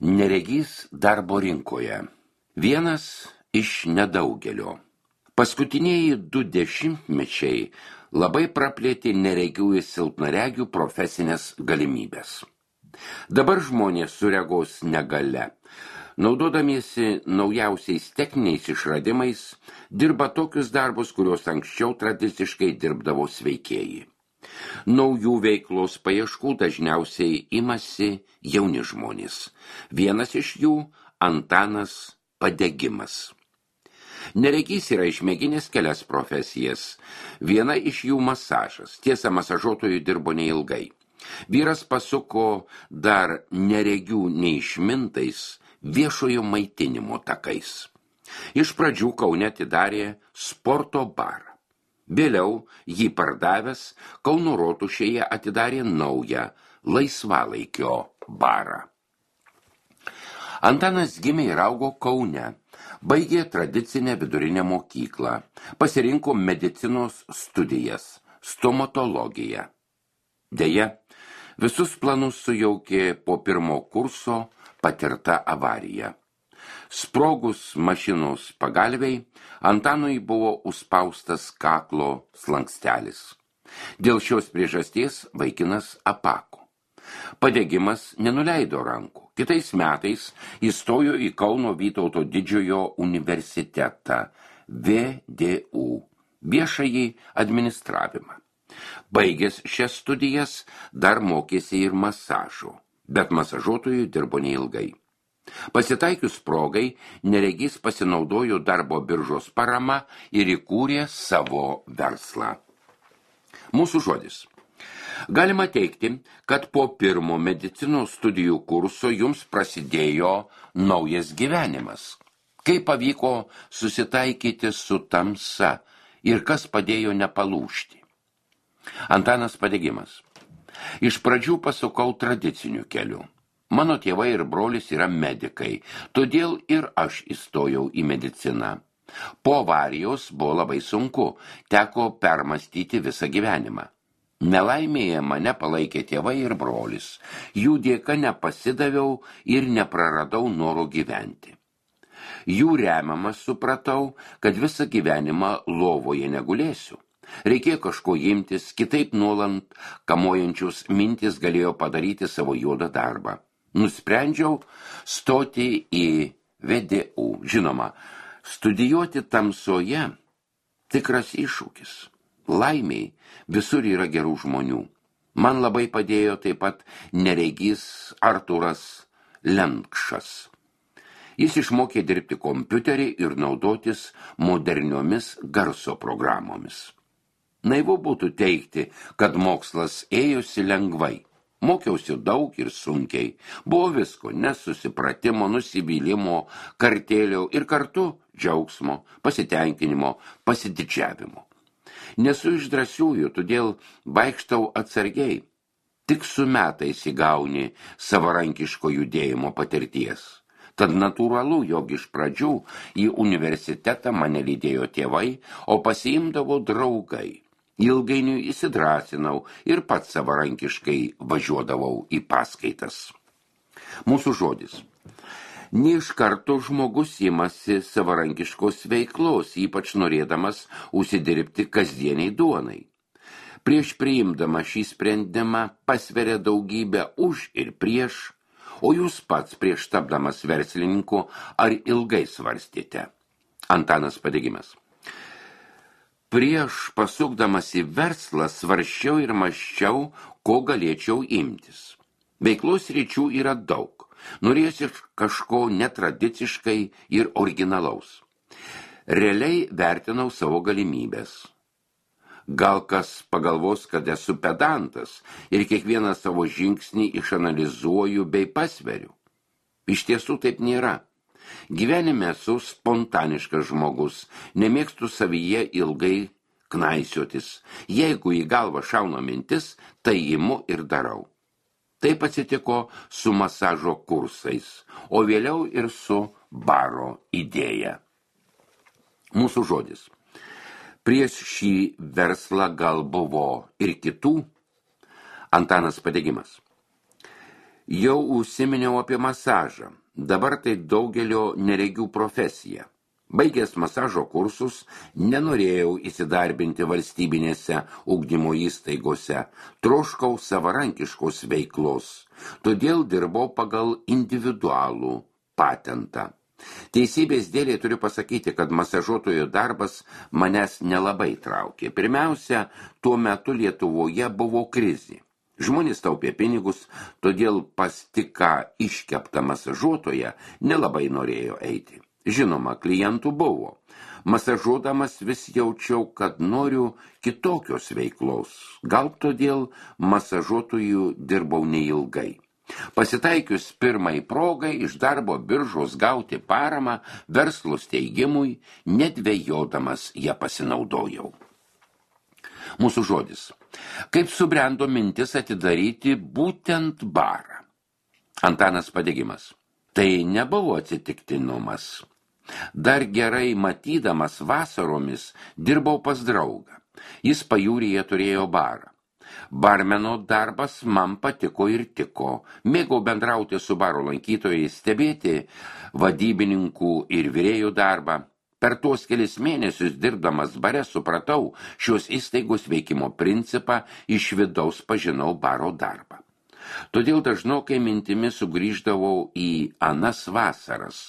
Neregys darbo rinkoje. Vienas iš nedaugelio. Paskutiniai 2 dešimtmečiai labai praplėtė neregių ir silpnaregių profesinės galimybės. Dabar žmonės su regos negalia, naudodamiesi naujausiais techniniais išradimais, dirba tokius darbus, kuriuos anksčiau tradiciškai dirbdavo sveikieji. Naujų veiklos paieškų dažniausiai imasi jauni žmonės. Vienas iš jų – Antanas Padegimas. Neregys yra išmėginęs kelias profesijas. Viena iš jų masažas. Tiesa, masažuotojų dirbo neilgai. Vyras pasuko dar neregių neišmintais viešojo maitinimo takais. Iš pradžių Kaune atidarė sporto barą. Vėliau jį pardavęs Kauno Rotušėje atidarė naują laisvalaikio barą. Antanas gimė ir augo Kaune, baigė tradicinę vidurinę mokyklą, pasirinko medicinos studijas, stomatologiją. Deja, visus planus sujaukė po pirmo kurso patirta avarija. Sprogus mašinos pagalviai, Antanui buvo užspaustas kaklo slankstelis. Dėl šios priežasties vaikinas apako. Padegimas nenuleido rankų. Kitais metais įstojo į Kauno Vytauto Didžiojo universitetą VDU, viešąjį administravimą. Baigęs šias studijas dar mokėsi ir masažo, bet masažuotojų dirbo neilgai. Pasitaikius progai, neregys pasinaudojo darbo biržos parama ir įkūrė savo verslą. Mūsų žodis. Galima teigti, kad po pirmo medicinos studijų kurso jums prasidėjo naujas gyvenimas. Kaip pavyko susitaikyti su tamsa ir kas padėjo nepalūžti? Antanas Padegimas. Iš pradžių pasukau tradiciniu keliu. Mano tėvai ir brolis yra medikai, todėl ir aš įstojau į mediciną. Po avarijos buvo labai sunku, teko permastyti visą gyvenimą. Nelaimėje mane palaikė tėvai ir brolis. Jų dėka nepasidaviau ir nepraradau noro gyventi. Jų remiamas supratau, kad visą gyvenimą lovoje negulėsiu. Reikėjo kažko imtis, kitaip nuolant kamuojančius mintis galėjo padaryti savo juodą darbą. Nusprendžiau stoti į VDU. Žinoma, studijuoti tamsoje tikras iššūkis. Laimiai visur yra gerų žmonių. Man labai padėjo taip pat neregys Artūras Lenkšas. Jis išmokė dirbti kompiuterį ir naudotis moderniomis garso programomis. Naivu būtų teigti, kad mokslas ėjosi lengvai. Mokiausi daug ir sunkiai. Buvo visko, nesusipratimo, nusivylimo, kartėlio ir kartu džiaugsmo, pasitenkinimo, pasididžiavimo. Nesu iš drąsiųjų, todėl vaikštau atsargiai. Tik su metais įgauni savarankiško judėjimo patirties. Tad natūralu, jog iš pradžių į universitetą mane lydėjo tėvai, o pasiimdavo draugai. Ilgainiui įsidrasinau ir pats savarankiškai važiuodavau į paskaitas. Mūsų žodis. Ne iš karto žmogus imasi savarankiškos veiklos, ypač norėdamas užsidirbti kasdieniai duonai. Prieš priimdama šį sprendimą pasveria daugybę už ir prieš, o jūs pats prieš tapdamas verslininku ar ilgai svarstėte. Antanas Padegimas. Prieš pasukdamas į verslą svarsčiau ir mąsčiau, ko galėčiau imtis. Veiklos ryčių yra daug. Norėjusi kažko netradiciškai ir originalaus. Realiai vertinau savo galimybės. Gal kas pagalvos, kad esu pedantas ir kiekvieną savo žingsnį išanalizuoju bei pasveriu. Iš tiesų taip nėra. Gyvenime esu spontaniškas žmogus, nemėgstu savyje ilgai knaisiotis. Jeigu į galvą šauna mintis, tai imu ir darau. Taip atsitiko su masažo kursais, o vėliau ir su baro idėja. Mūsų žodis. Prieš šį verslą gal buvo ir kitų. Antanas Padegimas. Jau užsiminiau apie masažą. Dabar tai daugelio neregių profesija. Baigęs masažo kursus, nenorėjau įsidarbinti valstybinėse ugdymo įstaigose, troškau savarankiškos veiklos, todėl dirbau pagal individualų patentą. Teisybės dėlei turiu pasakyti, kad masažuotojo darbas manęs nelabai traukė. Pirmiausia, tuo metu Lietuvoje buvo krizė. Žmonės taupė pinigus, todėl pas tik ką iškeptą masažuotoją nelabai norėjo eiti. Žinoma, klientų buvo. Masažuodamas vis jaučiau, kad noriu kitokios veiklos. Gal todėl masažuotojų dirbau neilgai. Pasitaikius pirmai progai iš darbo biržos gauti paramą verslo steigimui, nedvejodamas ją pasinaudojau. Mūsų žodis. Kaip subrendo mintis atidaryti būtent barą? Antanas Padegimas. Tai nebuvo atsitiktinumas. Dar gerai matydamas vasaromis dirbau pas draugą. Jis pajūryje turėjo barą. Barmeno darbas man patiko ir tiko. Mėgau bendrauti su baro lankytojais, stebėti vadybininkų ir virėjų darbą. Per tuos kelis mėnesius dirbdamas bare supratau šios įstaigos veikimo principą, iš vidaus pažinau baro darbą. Todėl dažnokai mintimis sugrįždavau į anas vasaras.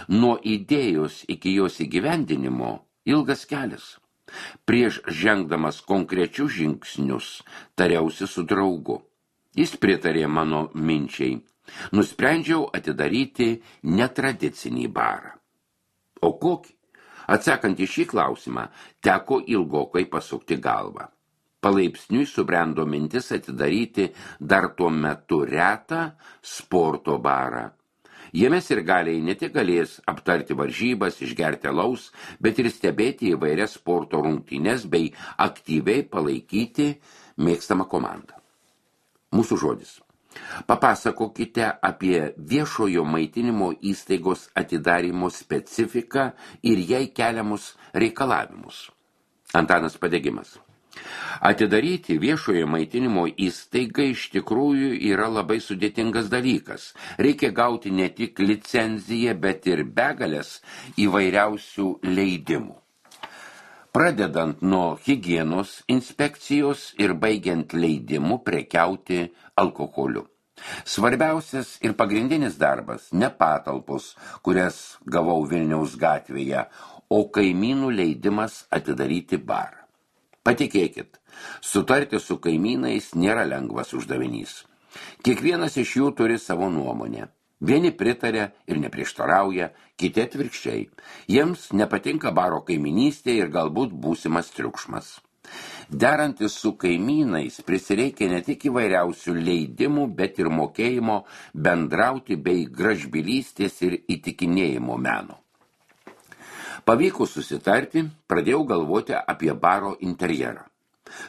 Nuo idėjos iki jos įgyvendinimo ilgas kelias. Prieš žengdamas konkrečius žingsnius tariausi su draugu. Jis pritarė mano minčiai. Nusprendžiau atidaryti netradicinį barą. O kokį? Atsakant į šį klausimą, teko ilgokai pasukti galvą. Palaipsniui subrendo mintis atidaryti dar tuo metu retą sporto barą. Jame sirgaliai ne tik galės aptarti varžybas, išgerti alaus, bet ir stebėti įvairias sporto rungtynes bei aktyviai palaikyti mėgstamą komandą. Mūsų žodis. Papasakokite apie viešojo maitinimo įstaigos atidarymo specifiką ir jai keliamus reikalavimus. Antanas Padegimas. Atidaryti viešojo maitinimo įstaigą iš tikrųjų yra labai sudėtingas dalykas. Reikia gauti ne tik licenciją, bet ir begalės įvairiausių leidimų. Pradedant nuo higienos inspekcijos ir baigiant leidimu prekiauti alkoholiu. Svarbiausias ir pagrindinis darbas ne patalpos, kurias gavau Vilniaus gatvėje, o kaimynų leidimas atidaryti barą. Patikėkit, sutarti su kaimynais nėra lengvas uždavinys. Kiekvienas iš jų turi savo nuomonę. Vieni pritarė ir neprieštarauja, kiti atvirkščiai. Jiems nepatinka baro kaiminystė ir galbūt būsimas triukšmas. Derantis su kaimynais prisireikia ne tik įvairiausių leidimų, bet ir mokėjimo bendrauti bei gražbylystės ir įtikinėjimo meno. Pavykus susitarti, pradėjau galvoti apie baro interjerą.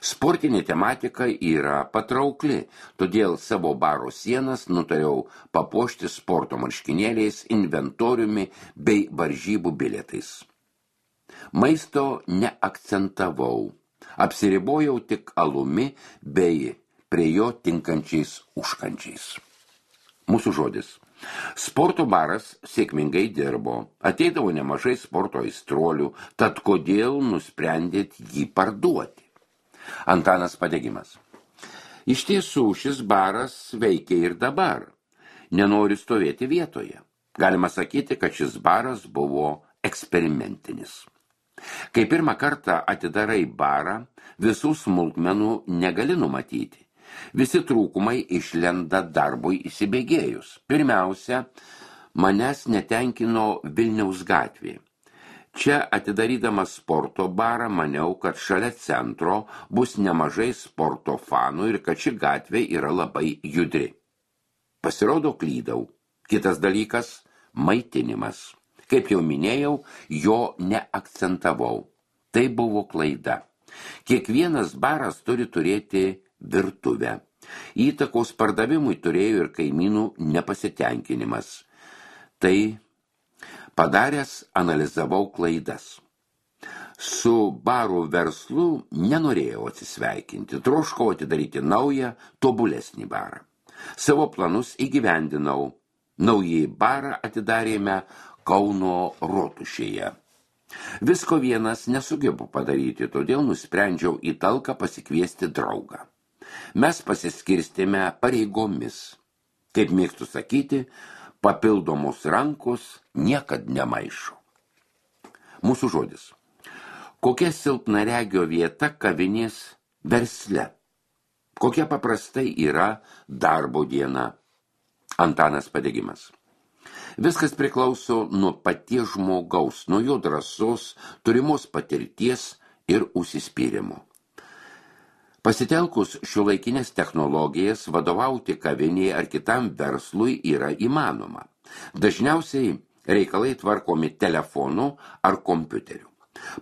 Sportinė tematika yra patraukli, todėl savo baro sienas nutariau papuošti sporto marškinėliais, inventoriumi bei varžybų bilietais. Maisto neakcentavau, apsiribojau tik alumi bei prie jo tinkančiais užkandžiais. Mūsų žodis. Sporto baras sėkmingai dirbo, ateidavo nemažai sporto aistruolių, tad kodėl nusprendėt jį parduoti? Antanas Padegimas. Iš tiesų, šis baras veikia ir dabar. Nenori stovėti vietoje. Galima sakyti, kad šis baras buvo eksperimentinis. Kai pirmą kartą atidarai barą, visų smulkmenų negali numatyti. Visi trūkumai išlenda darbui įsibėgėjus. Pirmiausia, manęs netenkino Vilniaus gatvė. Čia atidarydamas sporto barą maniau, kad šalia centro bus nemažai sporto fanų ir kad ši gatvė yra labai judri. Pasirodo, klydau. Kitas dalykas – maitinimas. Kaip jau minėjau, jo neakcentavau. Tai buvo klaida. Kiekvienas baras turi turėti virtuvę. Įtakos pardavimui turėjo ir kaimynų nepasitenkinimas. Tai padaręs analizavau klaidas. Su barų verslu nenorėjau atsisveikinti, troškau atidaryti naują, tobulesnį barą. Savo planus įgyvendinau. Naujį barą atidarėme Kauno Rotušėje. Visko vienas nesugebu padaryti, todėl nusprendžiau į talką pasikviesti draugą. Mes pasiskirstėme pareigomis. Kaip mėgstu sakyti, papildomos rankos niekad nemaišo. Mūsų žodis. Kokia silpnaregio vieta kavinės versle? Kokia paprastai yra darbo diena? Antanas Padegimas. Viskas priklauso nuo paties žmogaus, nuo jo drąsos, turimos patirties ir užsispyrimo. Pasitelkus šiuolaikinės technologijas vadovauti kavinėje ar kitam verslui yra įmanoma. Dažniausiai reikalai tvarkomi telefonu ar kompiuteriu.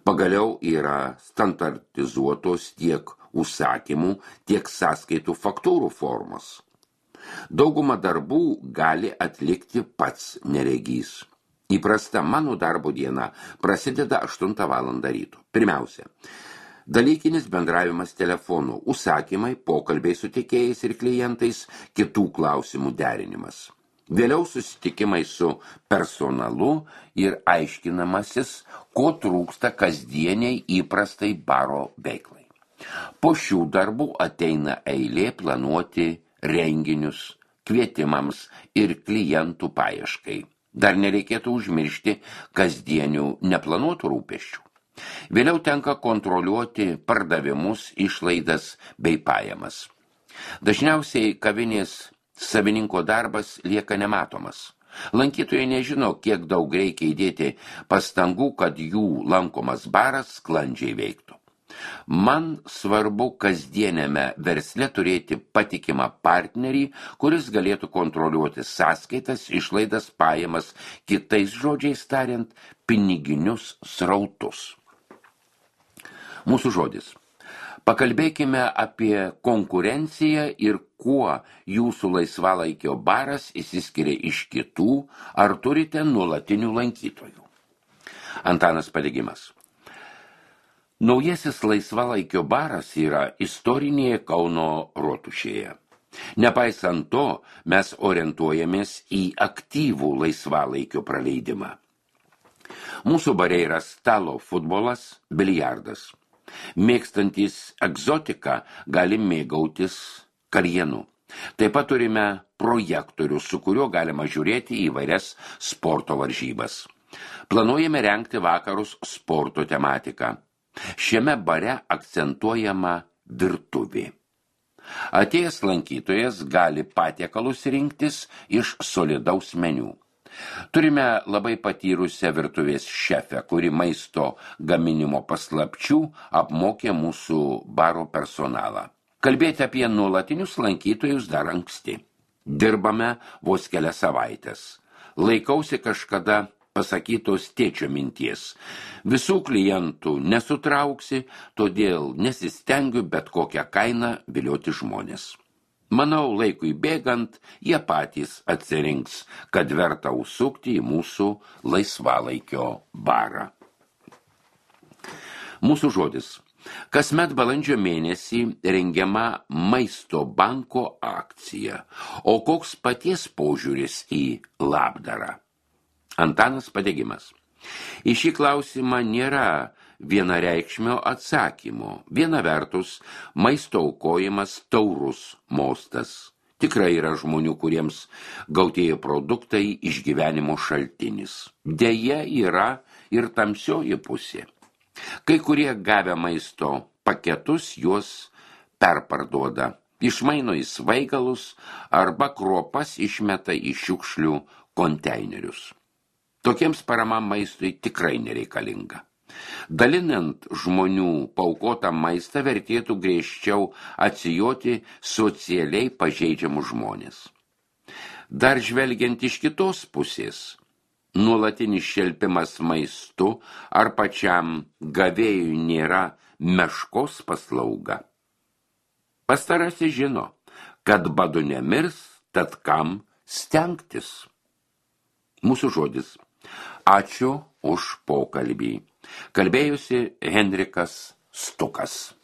Pagaliau yra standartizuotos tiek užsakymų, tiek sąskaitų faktūrų formos. Daugumą darbų gali atlikti pats neregys. Įprasta mano darbo diena prasideda 8 valandą ryto. Pirmiausia, dalykinis bendravimas telefonu, užsakymai, pokalbiai su tiekėjais ir klientais, kitų klausimų derinimas. Vėliau susitikimai su personalu ir aiškinamasis, ko trūksta kasdieniai įprastai baro veiklai. Po šių darbų ateina eilė planuoti renginius, kvietimams ir klientų paieškai. Dar nereikėtų užmiršti kasdienių neplanuotų rūpesčių. Vėliau tenka kontroliuoti pardavimus, išlaidas bei pajamas. Dažniausiai kavinės savininko darbas lieka nematomas. Lankytojai nežino, kiek daug reikia įdėti pastangų, kad jų lankomas baras sklandžiai veiktų. Man svarbu kasdienėme versle turėti patikimą partnerį, kuris galėtų kontroliuoti sąskaitas, išlaidas, pajamas, kitais žodžiais tariant, piniginius srautus. Mūsų žodis. Pakalbėkime apie konkurenciją ir kuo jūsų laisvalaikio baras išsiskiria iš kitų, ar turite nuolatinių lankytojų. Antanas Padegimas. Naujasis laisvalaikio baras yra istorinėje Kauno Rotušėje. Nepaisant to, mes orientuojamės į aktyvų laisvalaikio praleidimą. Mūsų bare yra stalo futbolas, biliardas. Mėgstantys egzotiką gali mėgautis karienu. Taip pat turime projektorių, su kuriuo galima žiūrėti įvairias sporto varžybas. Planuojame rengti vakarus sporto tematiką. Šiame bare akcentuojama virtuvė. Atėjęs lankytojas gali patiekalus rinktis iš solidaus meniu. Turime labai patyrusią virtuvės šefę, kuri maisto gaminimo paslapčių apmokė mūsų baro personalą. Kalbėti apie nuolatinius lankytojus dar anksti. Dirbame vos kelias savaitės. Laikausi kažkada pasakytos tėčio minties. Visų klientų nesutrauksi, todėl nesistengiu bet kokią kainą vilioti žmonės. Manau, laikui bėgant, jie patys atsirinks, kad verta užsukti į mūsų laisvalaikio barą. Mūsų žodis. Kasmet balandžio mėnesį rengiama Maisto banko akcija. O koks paties požiūris į labdarą? Antanas Padegimas. Į šį klausimą nėra vienareikšmio atsakymo. Viena vertus, maisto aukojimas taurus mostas. Tikrai yra žmonių, kuriems gautieji produktai išgyvenimo šaltinis. Deja yra ir tamsioji pusė. Kai kurie gavę maisto paketus juos perparduoda, išmaino į svaigalus arba kruopas išmeta į šiukšlių konteinerius. Tokiems parama maistui tikrai nereikalinga. Dalinant žmonių paaukotą maistą vertėtų griežčiau atsijoti socialiai pažeidžiamus žmonės. Dar žvelgiant iš kitos pusės, nuolatinis šelpimas maistu ar pačiam gavėjui nėra meškos paslauga. Pastarasis žino, kad badu nemirs, tad kam stengtis. Mūsų žodis. Ačiū už pokalbį. Kalbėjusi Henrikas Stukas.